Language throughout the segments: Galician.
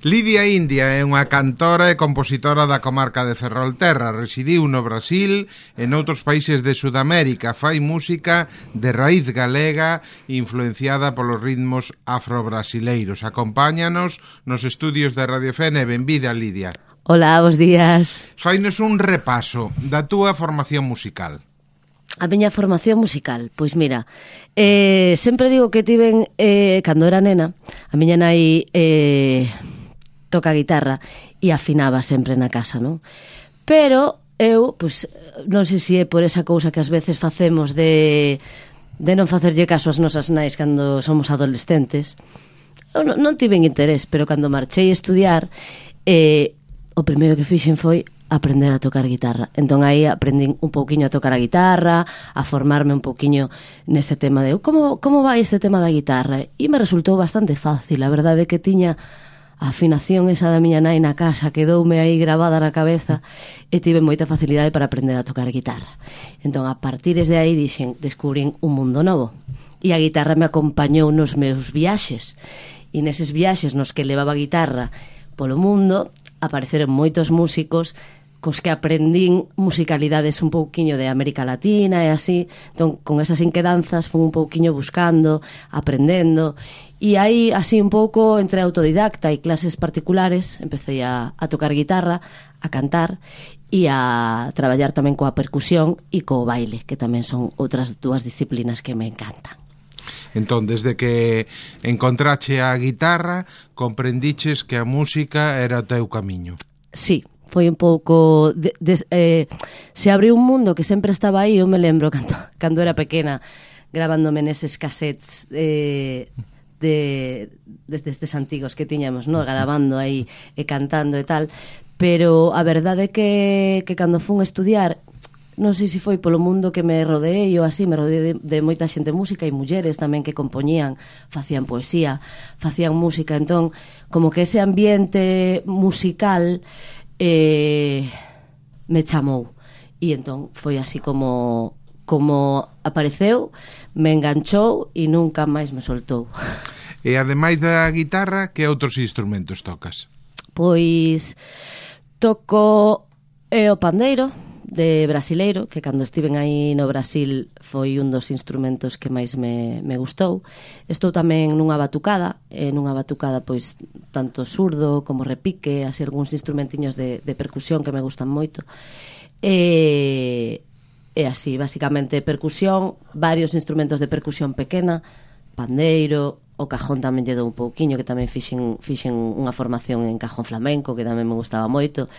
Lidia India é unha cantora e compositora da comarca de Ferrolterra. Residiu no Brasil e noutros países de Sudamérica. Fai música de raíz galega influenciada polos ritmos afrobrasileiros. Acompáñanos nos estudios de Radio FN. Benvida, Lidia. Hola, bos días. Fainos un repaso da túa formación musical. A miña formación musical, pois mira, sempre digo que tiven, cando era nena, a miña nai toca a guitarra e afinaba sempre na casa, non? Pero eu, pois, non sei se é por esa cousa que ás veces facemos de non facerlle caso ás nosas nais cando somos adolescentes. Eu non tiven interés, pero cando marchei a estudiar, o primeiro que fixen foi aprender a tocar guitarra. Entón aí aprendín un pouquiño a tocar a guitarra, a formarme un pouquiño nese tema de como vai este tema da guitarra, e me resultou bastante fácil. A verdade é que tiña a afinación esa da miña nai na casa, quedoume aí gravada na cabeza e tive moita facilidade para aprender a tocar guitarra. Entón a partir de aí descubrín un mundo novo, e a guitarra me acompañou nos meus viaxes, e neses viaxes nos que levaba a guitarra polo mundo apareceron moitos músicos cos que aprendín musicalidades un pouquiño de América Latina e así. Entón, con esas inquedanzas fui un pouquiño buscando, aprendendo, e aí, así un pouco, entre autodidacta e clases particulares, empecé a tocar guitarra, a cantar e a traballar tamén coa percusión e co baile, que tamén son outras dúas disciplinas que me encantan. Entón, desde que encontrache a guitarra, comprendiches que a música era o teu camiño. Sí, foi un pouco se abriu un mundo que sempre estaba aí. Eu me lembro cando era pequena gravándome neses cassettes destes antigos que tiñamos, no? Grabando aí e cantando e tal. Pero a verdade é que cando fun a estudiar, non sei se foi polo mundo que me rodeei ou así, me rodeei de moita xente música e mulleres tamén que compoñían, facían poesía, facían música. Entón, como que ese ambiente musical me chamou, e entón foi así como apareceu, me enganchou e nunca máis me soltou. E ademais da guitarra, que outros instrumentos tocas? Pois toco o pandeiro de brasileiro, que cando estiven aí no Brasil foi un dos instrumentos que máis me gustou. Estou tamén nunha batucada, pois tanto surdo como repique, así algúns instrumentiños de percusión que me gustan moito. E así, basicamente percusión, varios instrumentos de percusión pequena, pandeiro, o cajón tamén lle dou un pouquiño, que tamén fixen unha formación en cajón flamenco, que tamén me gustaba moito.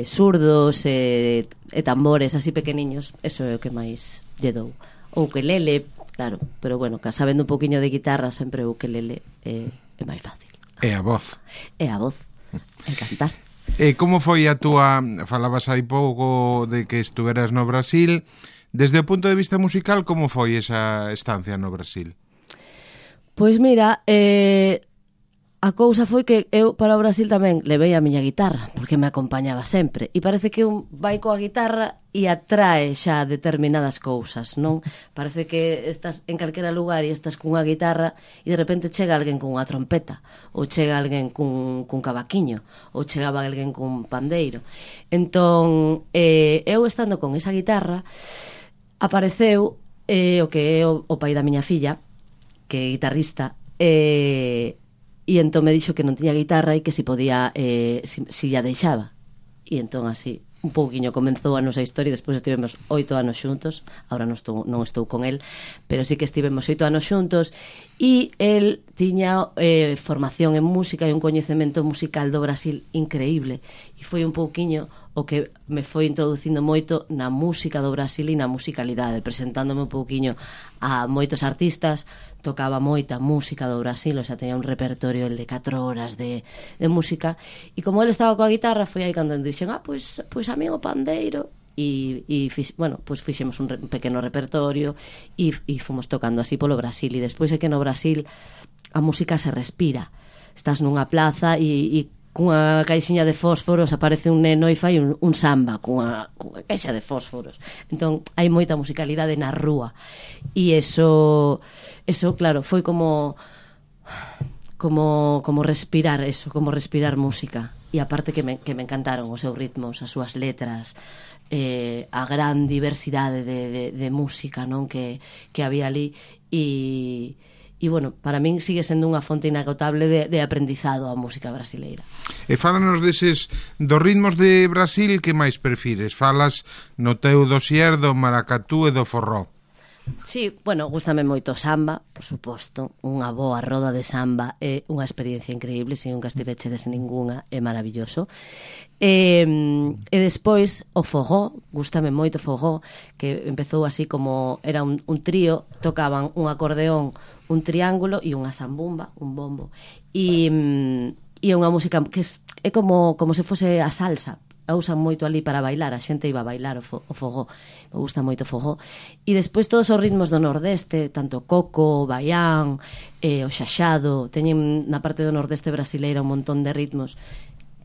Surdos e tambores así pequeniños, eso é o que máis lle dou. O ukelele, claro, pero bueno, sabendo un poquinho de guitarra, sempre o ukelele é máis fácil. E a voz. E a voz, e cantar. E como foi a túa, falabas hai pouco de que estuveras no Brasil, desde o punto de vista musical, como foi esa estancia no Brasil? Pois mira, a cousa foi que eu para o Brasil tamén levei a miña guitarra, porque me acompañaba sempre, e parece que un vai coa guitarra e atrae xa determinadas cousas, non? Parece que estás en calquera lugar e estás cunha guitarra e de repente chega alguén cunha trompeta, ou chega alguén cun cavaquiño, ou chegaba alguén cun pandeiro. Entón, eu estando con esa guitarra, apareceu o que é o pai da miña filla, que é guitarrista, e entón me dixo que non tiña guitarra e que si podía, si a deixaba. E entón así, un pouquiño comenzou a nosa historia. Despois estivemos 8 anos xuntos. Ahora non estou con el, pero sí que estivemos 8 anos xuntos. E el tiña formación en música e un coñecemento musical do Brasil increíble. E foi un pouquiño o que me foi introducindo moito na música do Brasil e na musicalidade, presentándome un pouquiño a moitos artistas. Tocaba moita música do Brasil, o sea, teña un repertorio el de 4 horas de música, e como ele estaba coa guitarra, foi aí cando dixen, pois a mí o pandeiro, e fixemos un pequeno repertorio e fomos tocando así polo Brasil. E despois é que no Brasil a música se respira, estás nunha plaza e cunha caixiña de fósforos aparece un neno e fai un samba cunha caixa de fósforos. Entón hai moita musicalidade na rúa, e eso claro, foi como como respirar eso, como respirar música. E aparte que me encantaron os seus ritmos, as súas letras, a gran diversidade de música, non, que había ali. E bueno, para min sigue sendo unha fonte inagotable de aprendizado a música brasileira. E fálanos dos ritmos de Brasil, que máis prefires? Falas no teu dossier do maracatú e do forró. Sí, bueno, gústame moito o samba, por suposto. Unha boa roda de samba é unha experiencia increíble. Se nunca estivechedes ningunha, é maravilloso. E despois o fogó, gústame moito o fogó, que empezou así como era un trío, tocaban un acordeón, un triángulo e unha zambumba, un bombo. E é unha música que é como se fose a salsa. A usan moito ali para bailar, a xente iba a bailar o fogó, me gusta moito o fogó. E despois todos os ritmos do Nordeste, tanto coco, baián, o xaxado, teñen na parte do Nordeste brasileira un montón de ritmos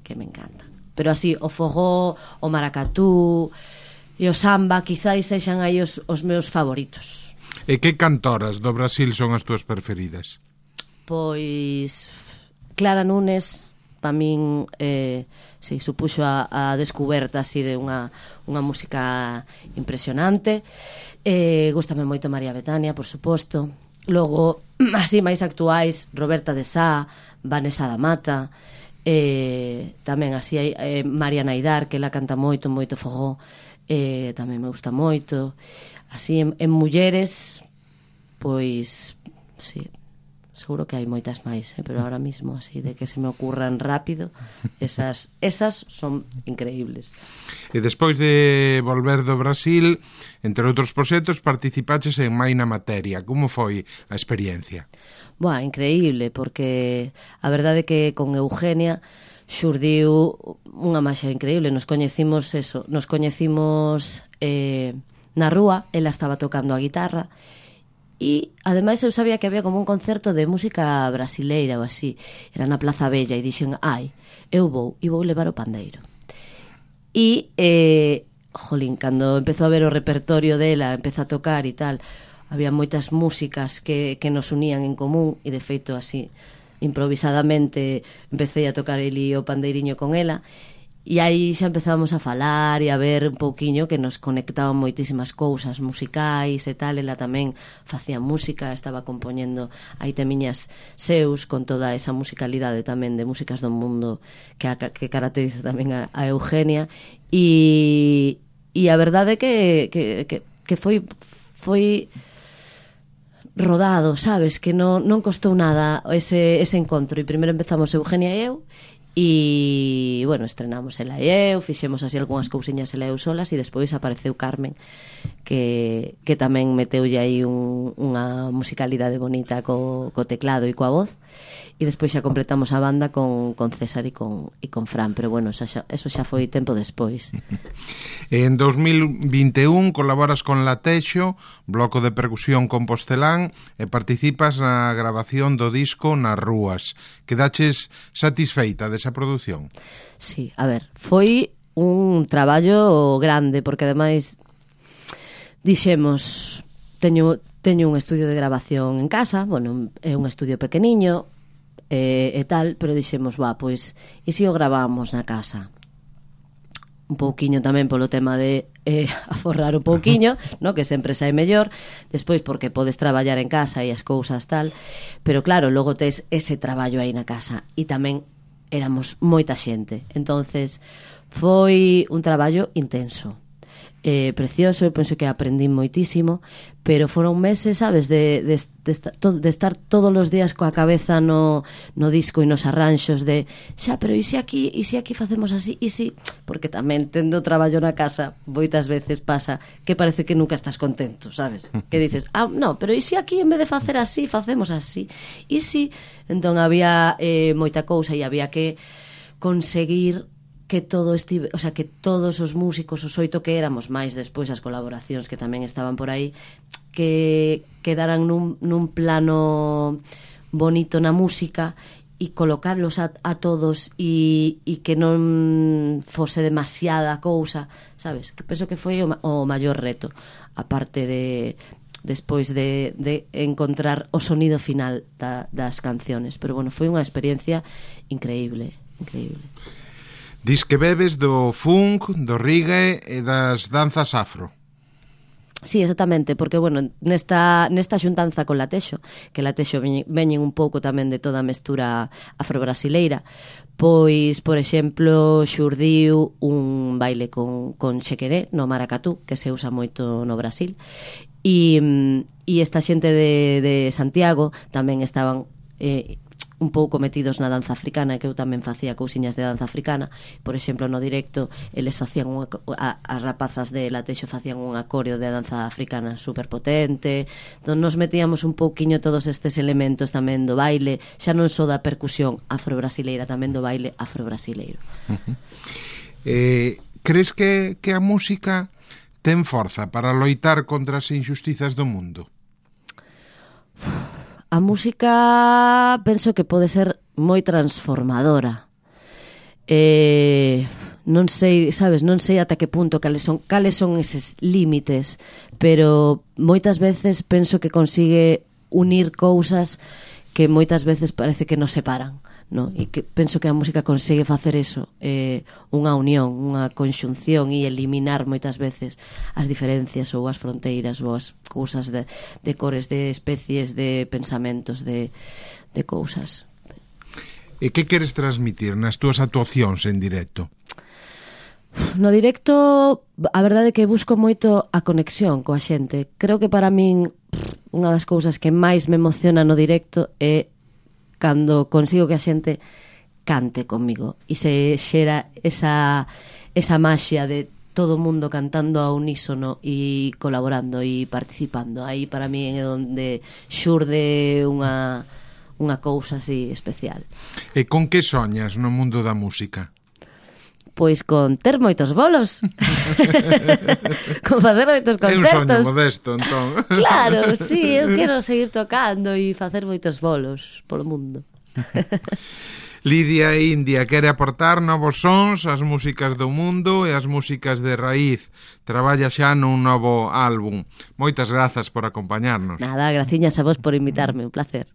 que me encantan. Pero así, o fogó, o maracatú e o samba quizáis sexan aí os meus favoritos. E que cantoras do Brasil son as túas preferidas? Pois Clara Nunes, para min sí, supuxo a descuberta así de unha música impresionante. Gústame moito María Bethania, por suposto. Logo, así máis actuais, Roberta de Sá, Vanessa da Mata, tamén así hai María Naidar, que ela canta moito fogó, tamén me gusta moito. Así en mulleres, pois sí, seguro que hai moitas máis, pero ahora mismo así de que se me ocurran rápido, esas son increíbles. E despois de volver do Brasil, entre outros proxectos, participaches en Mai na Materia. Como foi a experiencia? Boa, increíble, porque a verdade é que con Eugenia xurdiu unha maxia increíble. Nos coñecimos na rúa, ela estaba tocando a guitarra. E, ademais, eu sabía que había como un concerto de música brasileira ou así. Era na Plaza Bella e dixen, eu vou levar o pandeiro. E, jolín, cando empezou a ver o repertorio dela, empezou a tocar e tal, había moitas músicas que nos unían en común e, de feito, así, improvisadamente, empecé a tocar eli o pandeiriño con ela. E aí xa empezábamos a falar e a ver un pouquiño que nos conectaban moitísimas cousas musicais e tal. Ela tamén facía música, estaba compoñendo aí temiñas seus con toda esa musicalidade tamén de músicas do mundo que caracteriza tamén a Eugenia. E a verdade é que foi rodado, sabes? Que non costou nada ese encontro. E primeiro empezamos Eugenia e eu, e, bueno, estrenamos ela e eu, fixemos así algunhas cousiñas ela e eu solas, e despois apareceu Carmen, que tamén meteulle aí unha musicalidade bonita co teclado e coa voz, e despois xa completamos a banda con César e con Fran, pero bueno, eso xa foi tempo despois. En 2021 colaboras con Latexo, bloco de percusión compostelán, e participas na grabación do disco Nas Rúas. Quedaches satisfeita desa produción? Sí, a ver, foi un traballo grande, porque ademais dixemos, teño un estudio de grabación en casa, bueno, é un estudio pequeniño e tal, pero dixemos, pois, e se o gravamos na casa? Un pouquiño tamén polo tema de aforrar un pouquiño, no, que sempre sai mellor, despois porque podes traballar en casa e as cousas tal, pero claro, logo tes ese traballo aí na casa, e tamén éramos moita xente, entonces foi un traballo intenso, precioso. Eu penso que aprendí moitísimo, pero foron meses, sabes, de estar todos os días coa cabeza no disco e nos arranxos de pero e se aquí facemos así, e si, porque tamén tendo traballo na casa moitas veces pasa que parece que nunca estás contento, sabes, que dices, no, pero e se aquí en vez de facer así, facemos así, e si, entón había moita cousa e había que conseguir que que todos os músicos, os 8 que éramos, máis despois as colaboracións que tamén estaban por aí, que quedaran nun plano bonito na música e colocarlos a todos e que non fose demasiada cousa, sabes? Que penso que foi o maior reto, aparte de despois de encontrar o sonido final das canciones. Pero bueno, foi unha experiencia increíble. Dis que bebes do funk, do reggae e das danzas afro. Sí, exactamente, porque, bueno, nesta xuntanza con Latexo, que Latexo veñen un pouco tamén de toda a mestura afro-brasileira, pois, por exemplo, xurdiu un baile con chequeré no maracatú, que se usa moito no Brasil, e esta xente de Santiago tamén estaban un pouco metidos na danza africana, que eu tamén facía cousiñas de danza africana. Por exemplo, no directo eles facían as rapazas de Latexo facían un coreo de danza africana super potente. Entón nos metíamos un pouquiño todos estes elementos tamén do baile, xa non só da percusión afro-brasileira, tamén do baile afro-brasileiro. Crees que a música ten forza para loitar contra as injustizas do mundo? A música penso que pode ser moi transformadora. Non sei, sabes, non sei ata que punto cales son eses límites, pero moitas veces penso que consigue unir cousas que moitas veces parece que nos separan, no? E que penso que a música consigue facer eso, unha unión, unha conxunción e eliminar moitas veces as diferencias ou as fronteiras ou as cousas de cores, de especies, de pensamentos, de cousas. E que queres transmitir nas túas actuacións en directo? No directo, a verdade é que busco moito a conexión coa xente. Creo que para min unha das cousas que máis me emociona no directo é cando consigo que a xente cante comigo e se xera esa maxia de todo o mundo cantando a unísono e colaborando e participando. Aí para mí é onde xurde unha cousa así especial. E con que soñas no mundo da música? Pois con ter moitos bolos. Con facer moitos concertos. É un soño modesto, entón. Claro, sí, eu quero seguir tocando e facer moitos bolos polo mundo. Lidia India quere aportar novos sons ás músicas do mundo e ás músicas de raíz. Traballa xa nun novo álbum. Moitas grazas por acompañarnos. Nada, graciñas a vos por invitarme, un placer.